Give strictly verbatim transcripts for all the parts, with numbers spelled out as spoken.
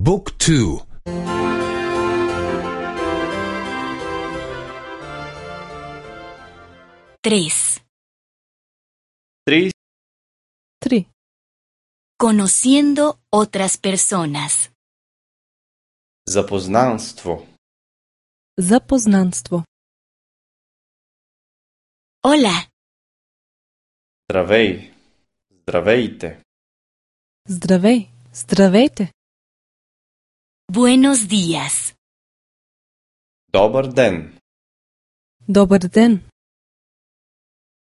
บุ๊กทูTres. Tri. Три. Conociendo otras personas. Запознанство. Запознанство. Hola, Здравей. Здравейте. Здравей. Здравейте. buenos días. Добър ден. Добър ден.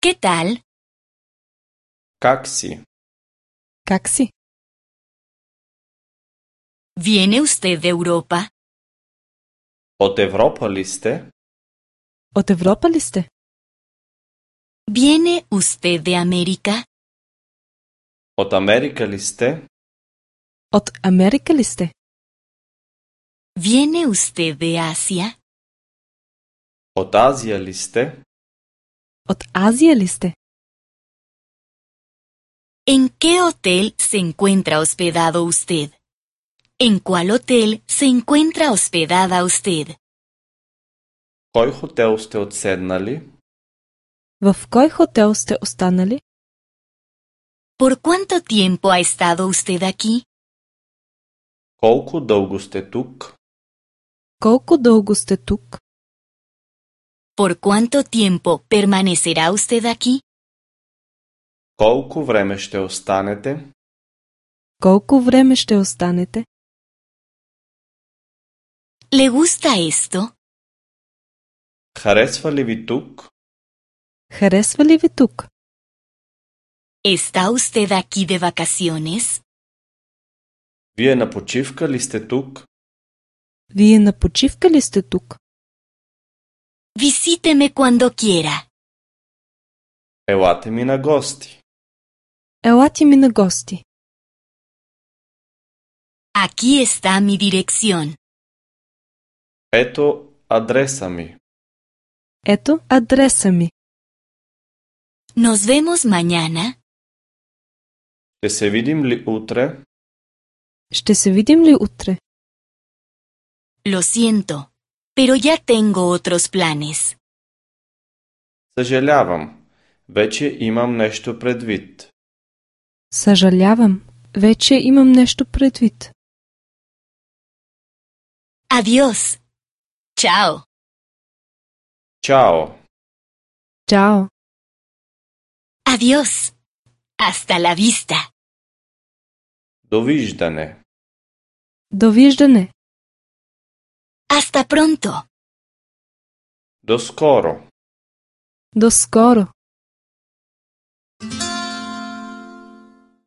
¿Qué tal? Как си? Как си? ¿Viene usted de Europa? От Европа ли сте? От Европа ли сте? ¿Viene usted de América? От Америка ли сте? От Америка ли сте? ¿Viene usted de Asia? От Азия ли сте? От Азия ли сте? ¿En qué hotel se encuentra hospedado usted? ¿En cuál hotel se encuentra hospedada usted? Кой хотел сте отседнали? В кой хотел сте останали? ¿Por cuánto tiempo ha estado usted aquí? Колко дълго сте тук? Колко дълго сте тук? ¿Por cuánto tiempo permanecerá usted aquí? Колко време ще останете? Колко време ще останете? ¿Le gusta esto? Харесва ли ви тук? Харесва ли ви тук? ¿Está usted aquí de vacaciones? Вие на почивка ли сте тук? Вие на почивка ли сте тук? Visíteme cuando quiera. Елате ми на гости. Елате ми на гости. Aquí está mi dirección. Ето адреса ми. Ето адреса ми. Nos vemos mañana. Ще се видим ли утре? Ще се видим ли утре? Lo siento, pero ya tengo otros planes. Съжалявам. Вече имам нещо предвид. Съжалявам. Вече имам нещо предвид. Adiós. Chao. Чао. Чао. Adiós. Hasta la vista. Довиждане. Довиждане. Hasta pronto. До скоро. До скоро.